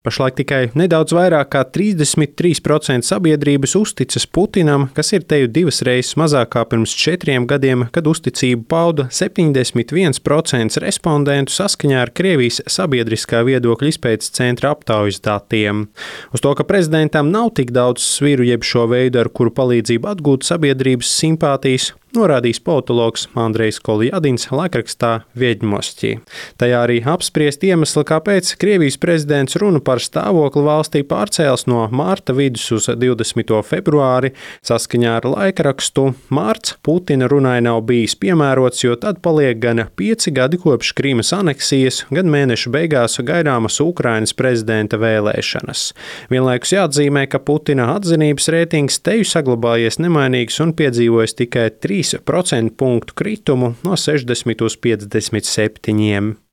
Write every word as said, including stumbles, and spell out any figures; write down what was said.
Pašlaik tikai nedaudz vairāk kā trīsdesmit trīs procenti sabiedrības uzticas Putinam, kas ir teju divas reizes mazāk kā pirms četriem gadiem, kad uzticību pauda septiņdesmit viens procents respondentu saskaņā ar Krievijas sabiedriskā viedokļa izpētes centra aptaujas datiem. Uz to, ka prezidentam nav tik daudz sviru jeb šo veidu, ar kuru palīdzību atgūt sabiedrības simpātijas, norādījis politologs Andrejs Koljadins laikrakstā Vieģmosti. Tajā arī apspriest iemesli, kāpēc Krievijas prezidents runu par stāvokli valstī pārcēls no mārta vidus uz divdesmito februāri. Saskaņā ar laikrakstu mārts Putina runai nav bijis piemērots, jo tad paliek gan pieci gadi kopš Krīmas aneksijas, gan mēneša beigās gaidāmas Ukrainas prezidenta vēlēšanas. Vienlaikus jāatzīmē, ka Putina atzinības rētings teju saglabājies nemainīgs un piedzīvojis tikai trīs procentu punktu kritumu no sešdesmit uz piecdesmit septiņiem.